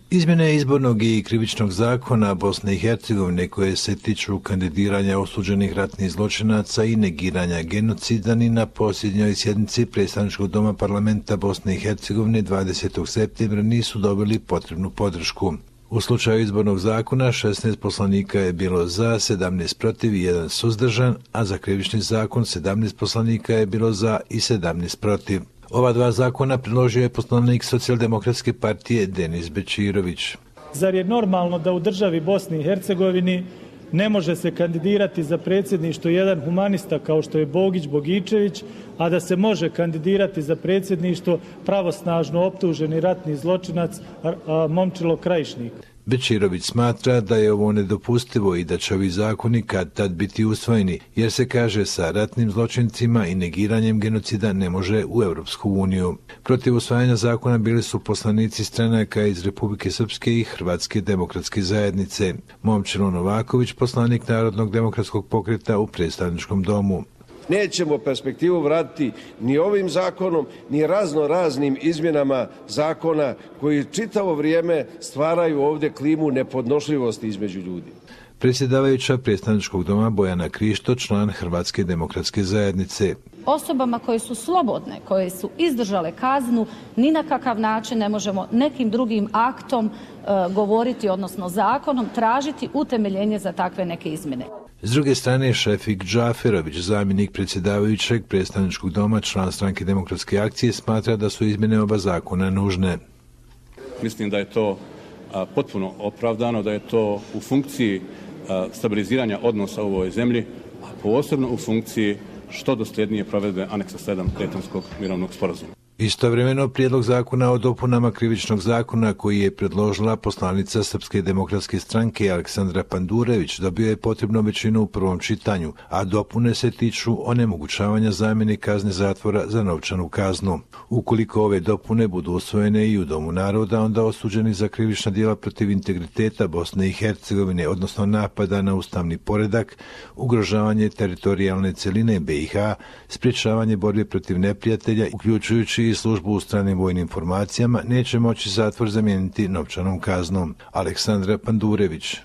Izmjene izbornog i krivičnog zakona Bosne i Hercegovine koje se tiču kandidiranja osuđenih ratnih zločinaca i negiranja genocida ni na posljednjoj sjednici predstavničkog doma parlamenta Bosne i Hercegovine 20. septembra nisu dobili potrebnu podršku. U slučaju izbornog zakona 16 poslanika je bilo za, 17 protiv i 1 suzdržan, a za krivični zakon 17 poslanika je bilo za i 17 protiv. Ova dva zakona predložio je poslanik Socijaldemokratske partije Denis Bečirović. Zar je normalno da u državi Bosni i Hercegovini ne može se kandidirati za predsjedništvo jedan humanista kao što je Bogić Bogičević, a da se može kandidirati za predsjedništvo pravosnažno optuženi ratni zločinac Momčilo Krajišnik? Bečirović smatra da je ovo nedopustivo i da će ovi zakoni kad tad biti usvojeni, jer se kaže sa ratnim zločincima i negiranjem genocida ne može u Europsku uniju. Protiv usvajanja zakona bili su poslanici stranaka iz Republike Srpske i Hrvatske demokratske zajednice. Momčilo Novaković, poslanik Narodnog demokratskog pokreta u predstavničkom domu. Nećemo perspektivu vratiti ni ovim zakonom, ni raznim izmjenama zakona koji čitavo vrijeme stvaraju ovdje klimu nepodnošljivosti između ljudi. Predsjedavajuća predstavničkog doma Bojana Krišto, član Hrvatske demokratske zajednice. Osobama koje su slobodne, koje su izdržale kaznu, ni na kakav način ne možemo nekim drugim aktom govoriti, odnosno zakonom, tražiti utemeljenje za takve neke izmjene. S druge strane, Šefik Džaferović, zamjenik predsjedavajućeg predstavničkog doma, član Stranke demokratske akcije, smatra da su izmjene oba zakona nužne. Mislim da je to potpuno opravdano, da je to u funkciji stabiliziranja odnosa u ovoj zemlji, a posebno u funkciji što dosljednije provedbe aneksa 7 Daytonskog mirovnog sporazuma. Istovremeno, prijedlog zakona o dopunama krivičnog zakona koji je predložila poslanica Srpske demokratske stranke Aleksandra Pandurević dobio je potrebnu većinu u prvom čitanju, a dopune se tiču onemogućavanja zamjene kazne zatvora za novčanu kaznu. Ukoliko ove dopune budu usvojene i u Domu naroda, onda osuđeni za krivična djela protiv integriteta Bosne i Hercegovine, odnosno napada na ustavni poredak, ugrožavanje teritorijalne celine BiH, sprječavanje borbe protiv neprijatelja, uključujući i službu u stranim vojnim formacijama, neće moći zatvor zamijeniti novčanom kaznom. Aleksandra Pandurević.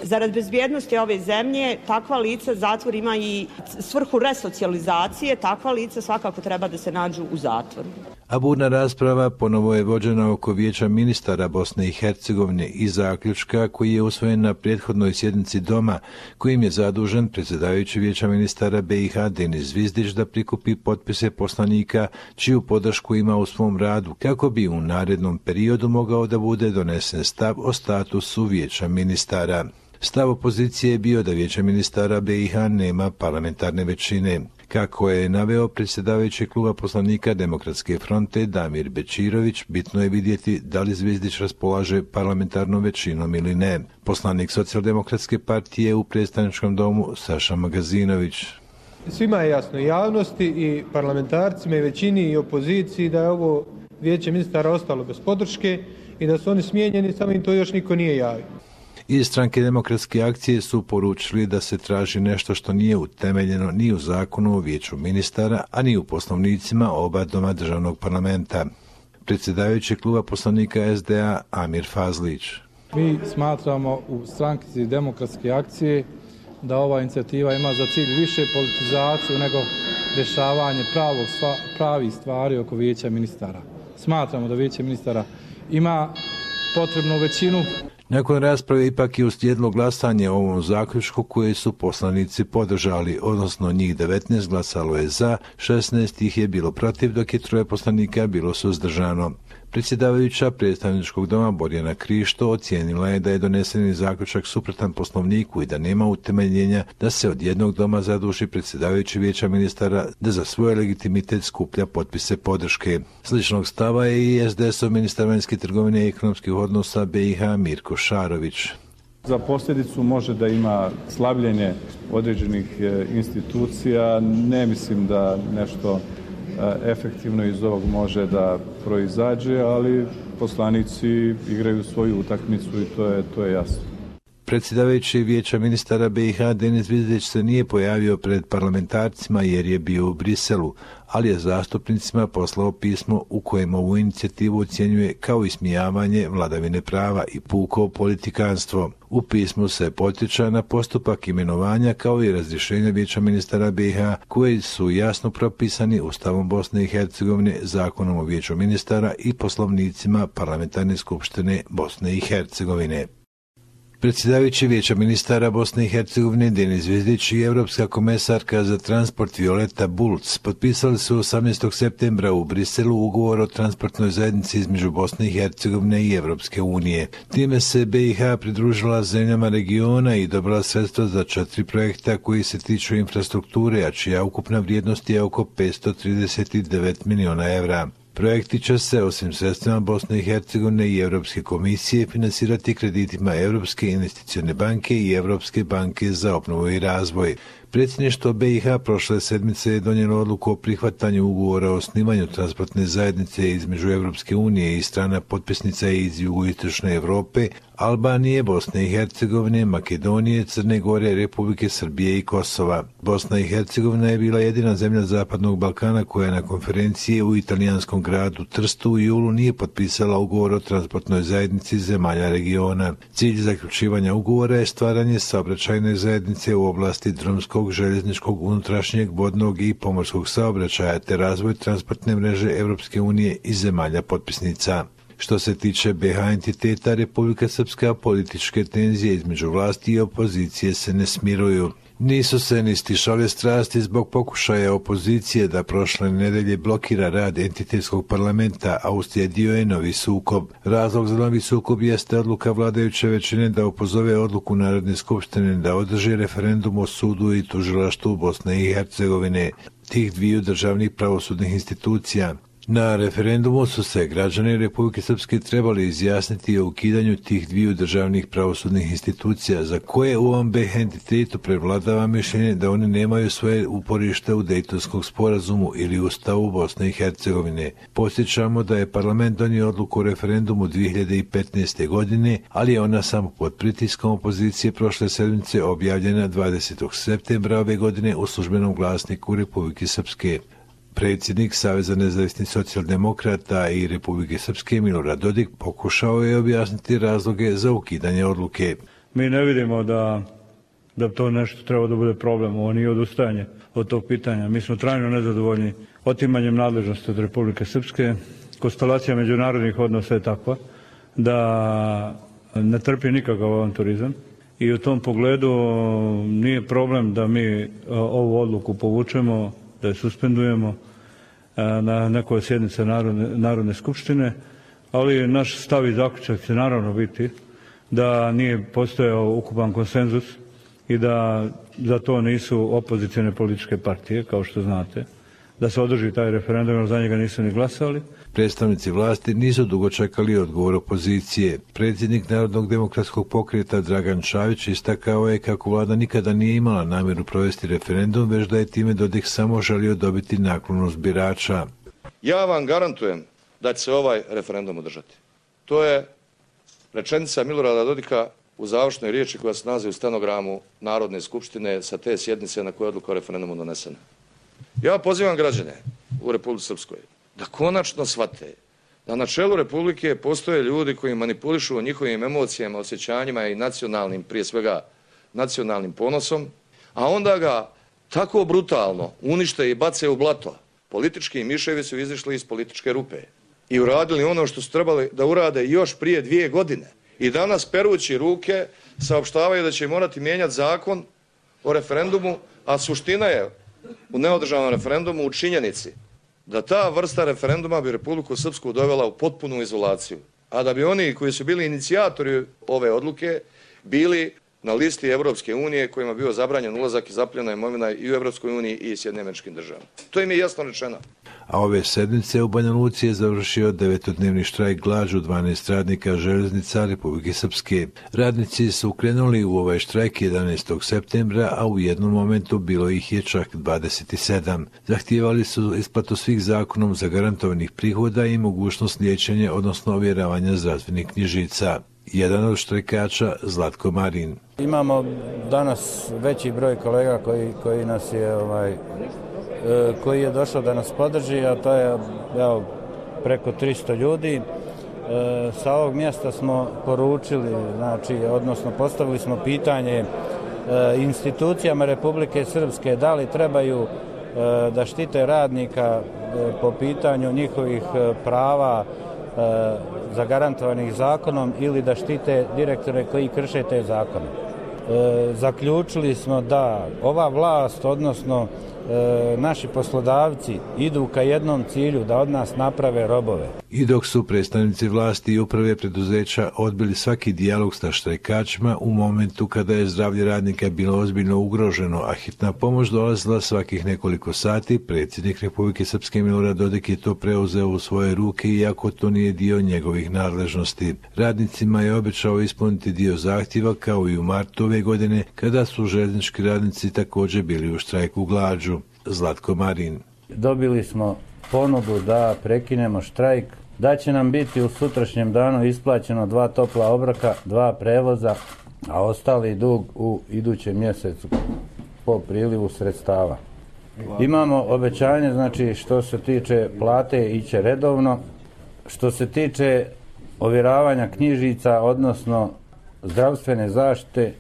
Zarad bezbjednosti ove zemlje, takva lica zatvor ima i svrhu resocijalizacije, takva lica svakako treba da se nađu u zatvoru. A burna rasprava ponovo je vođena oko Vijeća ministara Bosne i Hercegovine i zaključka koji je usvojen na prethodnoj sjednici doma, kojim je zadužen predsjedavajući Vijeća ministara BiH Denis Zvizdić da prikupi potpise poslanika čiju podršku ima u svom radu, kako bi u narednom periodu mogao da bude donesen stav o statusu Vijeća ministara. Stav opozicije je bio da Vijeće ministara BiH nema parlamentarne većine. Kako je naveo predsjedavajući kluba poslanika Demokratske fronte Damir Bečirović, bitno je vidjeti da li Zvizdić raspolaže parlamentarnom većinom ili ne. Poslanik Socijaldemokratske partije u predstavničkom domu Saša Magazinović. Svima je jasno, javnosti i parlamentarcima i većini i opoziciji, da je ovo Vijeće ministara ostalo bez podrške i da su oni smijenjeni, samo im to još niko nije javio. Iz Stranke demokratske akcije su poručili da se traži nešto što nije utemeljeno ni u zakonu o Vijeću ministara, a ni u poslovnicima oba doma državnog parlamenta. Predsjedavajući kluba poslanika SDA Amir Fazlić. Mi smatramo u Stranci demokratske akcije da ova inicijativa ima za cilj više politizaciju nego rješavanje pravih stvari oko Vijeća ministara. Smatramo da Vijeće ministara ima potrebnu većinu. Nakon rasprave ipak je uslijedilo glasanje o ovom zaključku koje su poslanici podržali, odnosno njih 19 glasalo je za, 16 ih je bilo protiv, dok je 3 poslanika bilo suzdržano. Predsjedavajuća predstavničkog doma Bojana Krišto ocijenila je da je doneseni zaključak suprotan poslovniku i da nema utemeljenja da se od jednog doma zaduži predsjedavajući Vijeća ministara da za svoj legitimitet skuplja potpise podrške. Sličnog stava je i SDS-ov ministar vanjske trgovine i ekonomskih odnosa BiH Mirko Šarović. Za posljedicu može da ima slabljenje određenih institucija. Ne mislim da nešto efektivno iz ovog može da proizađe, ali poslanici igraju svoju utakmicu i to je jasno. Predsjedavajući Vijeća ministara BiH Denis Zvizdić se nije pojavio pred parlamentarcima jer je bio u Briselu, ali je zastupnicima poslao pismo u kojem ovu inicijativu ocjenjuje kao ismijavanje vladavine prava i puko politikanstvo. U pismu se podsjeća na postupak imenovanja kao i razrješenja Vijeća ministara BiH koji su jasno propisani Ustavom Bosne i Hercegovine, Zakonom o Vijeću ministara i poslovnicima Parlamentarne skupštine Bosne i Hercegovine. Predsjedavajući Vijeća ministara Bosne i Hercegovine Denis Zvizdić i Europska komesarka za transport Violeta Bulc potpisali su 18. septembra u Briselu ugovor o transportnoj zajednici između Bosne i Hercegovine i Europske unije. Time se BiH pridružila zemljama regiona i dobila sredstva za 4 projekta koji se tiču infrastrukture, a čija ukupna vrijednost je oko 539 miliona evra. Projekti će se, osim sredstvima Bosne i Hercegovine i Europske komisije, finansirati kreditima Europske investicione banke i Europske banke za obnovu i razvoj. Predsjedništvo BiH prošle sedmice je donijelo odluku o prihvatanju ugovora o osnivanju transportne zajednice između Europske unije i strana potpisnica iz jugoistočne Europe, Albanije, Bosne i Hercegovine, Makedonije, Crne Gore, Republike Srbije i Kosova. Bosna i Hercegovina je bila jedina zemlja Zapadnog Balkana koja na konferenciji u italijanskom gradu Trstu u julu nije potpisala ugovor o transportnoj zajednici zemalja regiona. Cilj zaključivanja ugovora je stvaranje saobraćajne zajednice u oblasti drumskog, željezničkog, unutrašnjeg, vodnog i pomorskog saobraćaja te razvoj transportne mreže Europske unije i zemalja potpisnica. Što se tiče BiH entiteta, Republika Srpska, političke tenzije između vlasti i opozicije se ne smiruju. Nisu se ni stišale strasti zbog pokušaja opozicije da prošle nedelje blokira rad entitetskog parlamenta, a uslijedio je novi sukob. Razlog za novi sukob jeste odluka vladajuće većine da opozove odluku Narodne skupštine da održi referendum o sudu i tužilaštvu Bosne i Hercegovine, tih dviju državnih pravosudnih institucija. Na referendumu su se građani Republike Srpske trebali izjasniti o ukidanju tih dviju državnih pravosudnih institucija za koje u ovom BiH entitetu prevladava mišljenje da one nemaju svoje uporište u Dejtonskom sporazumu ili Ustavu Bosne i Hercegovine. Podsjećamo da je parlament donio odluku o referendumu 2015. godine, ali je ona samo pod pritiskom opozicije prošle sedmice objavljena 20. septembra ove godine u službenom glasniku Republike Srpske. Predsjednik Saveza nezavisnih socijaldemokrata i Republike Srpske Milorad Dodik pokušao je objasniti razloge za ukidanje odluke. Mi ne vidimo da to nešto treba da bude problem, ovo nije odustajanje od tog pitanja. Mi smo trajno nezadovoljni otimanjem nadležnosti od Republike Srpske. Konstelacija međunarodnih odnosa je takva da ne trpi nikakav avanturizam i u tom pogledu nije problem da mi ovu odluku povučemo, da je suspendujemo na nekoj sjednici Narodne skupštine, ali naš stav i zaključak će naravno biti da nije postojao ukupan konsenzus i da za to nisu opozicione političke partije, kao što znate, da se održi taj referendum, jer za njega nisu ni glasali. Predstavnici vlasti nisu dugo čekali odgovor opozicije. Predsjednik Narodnog demokratskog pokreta Dragan Čavić istakao je kako vlada nikada nije imala namjeru provesti referendum, već da je time Dodik samo želio dobiti naklonost birača. Ja vam garantujem da će se ovaj referendum održati. To je rečenica Milorada Dodika u završnoj riječi koja se nalazi u stenogramu Narodne skupštine sa te sjednice na kojoj je odluka o referendumu donesena. Ja pozivam građane u Republici Srpskoj da konačno shvate da na čelu Republike postoje ljudi koji manipulišu njihovim emocijama, osjećanjima i nacionalnim, prije svega nacionalnim ponosom, a onda ga tako brutalno unište i bace u blato. Politički miševi su izišli iz političke rupe i uradili ono što su trebali da urade još prije 2 godine. I danas perući ruke saopštavaju da će morati mijenjati zakon o referendumu, a suština je u neodržanom referendumu u činjenici da ta vrsta referenduma bi Republiku Srpsku dovela u potpunu izolaciju, a da bi oni koji su bili inicijatori ove odluke bili na listi Europske unije kojima je bio zabranjen ulazak i zapljena imovina i u Europskoj uniji i Sjedinjenim Američkim Državama. To im je jasno rečeno. A ove sedmice u Banja Luci je završio 9-dnevni štrajk glađu 12 radnika željeznica Republike Srpske. Radnici su krenuli u ovaj štrajk 11. septembra, a u jednom momentu bilo ih je čak 27. Zahtijevali su isplatu svih zakonom zagarantovanih prihoda i mogućnost liječenja, odnosno ovjeravanja zdravstvenih knjižica. jedan od štrajkača Zlatko Marin. Imamo danas veći broj kolega koji nas je koji je došao da nas podrži, a to je preko 300 ljudi. Sa ovog mjesta smo poručili, odnosno postavili smo pitanje institucijama Republike Srpske da li trebaju da štite radnika po pitanju njihovih prava zagarantovanih zakonom ili da štite direktore koji krše te zakone. Zaključili smo da ova vlast, odnosno naši poslodavci idu ka jednom cilju, da od nas naprave robove. I dok su predstavnici vlasti i uprave preduzeća odbili svaki dijalog sa štrajkačima u momentu kada je zdravlje radnika bilo ozbiljno ugroženo, a hitna pomoć dolazila svakih nekoliko sati, predsjednik Republike Srpske Milorad Dodik je to preuzeo u svoje ruke, iako to nije dio njegovih nadležnosti. Radnicima je obećao ispuniti dio zahtjeva, kao i u martu ove godine, kada su željeznički radnici također bili u štrajku glađu. Zlatko Marin. Dobili smo ponudu da prekinemo štrajk, da će nam biti u sutrašnjem danu isplaćeno 2 topla obroka, 2 prevoza, a ostali dug u idućem mjesecu po prilivu sredstava. Imamo obećanje, što se tiče plate iće redovno, što se tiče ovjeravanja knjižica, odnosno zdravstvene zaštite,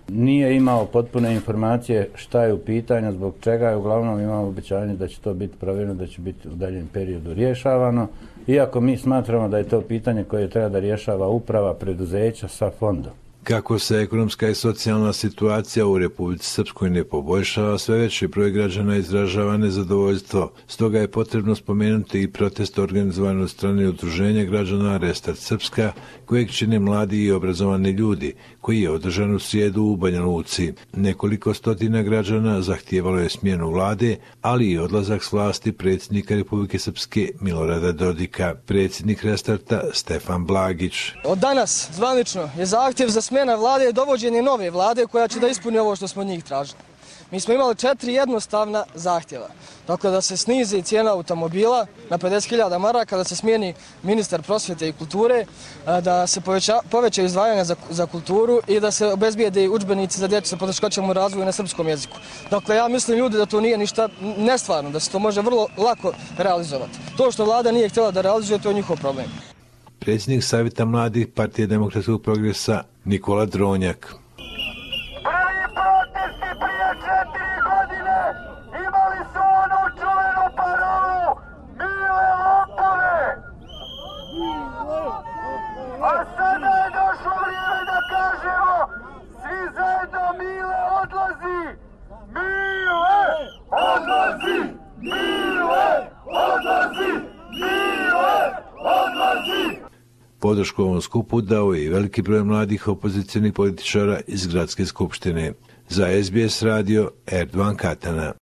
nije imao potpune informacije šta je u pitanju, zbog čega je. Uglavnom imamo obećanje da će to biti provjereno, da će biti u daljem periodu rješavano, iako mi smatramo da je to pitanje koje treba da rješava uprava preduzeća sa fondom. Kako se ekonomska i socijalna situacija u Republici Srpskoj ne poboljšava, sve veći broj građana izražava nezadovoljstvo. Stoga je potrebno spomenuti i protest organizovan od strane udruženja građana Restart Srpska, kojeg čine mladi i obrazovani ljudi, koji je održan u srijedu u Banja Luci. Nekoliko stotina građana zahtijevalo je smjenu vlade, ali i odlazak s vlasti predsjednika Republike Srpske Milorada Dodika. Predsjednik Restarta Stefan Blagić. Od danas zvanično je zahtjev za smjena vlade i dovođenje nove vlade koja će da ispuni ovo što smo od njih tražili. Mi smo imali 4 jednostavna zahtjeva. Dakle, da se snizi cijena automobila na 50.000 maraka, da se smijeni ministar prosvjete i kulture, da se povećaju izdvajanja za kulturu i da se obezbijede udžbenici za djecu sa poteškoćama u razvoju na srpskom jeziku. Dakle, ja mislim ljudi da to nije ništa nestvarno, da se to može vrlo lako realizovati. To što vlada nije htjela da realizuje, to je njihov problem. Predsjednik Savjeta mladih Partije demokratskog progresa Nikola Dronjak. Prvi protesti prije 4 godine imali su onu čuvenu parolu Mile lopove. A sada je došlo vrijeme da kažemo svi zajedno Mile odlazi. Mile odlazi. Mile odlazi. Mile odlazi. Podršku ovom skupu dao je i veliki broj mladih opozicionih političara iz Gradske skupštine. Za SBS radio Erdovan Katana.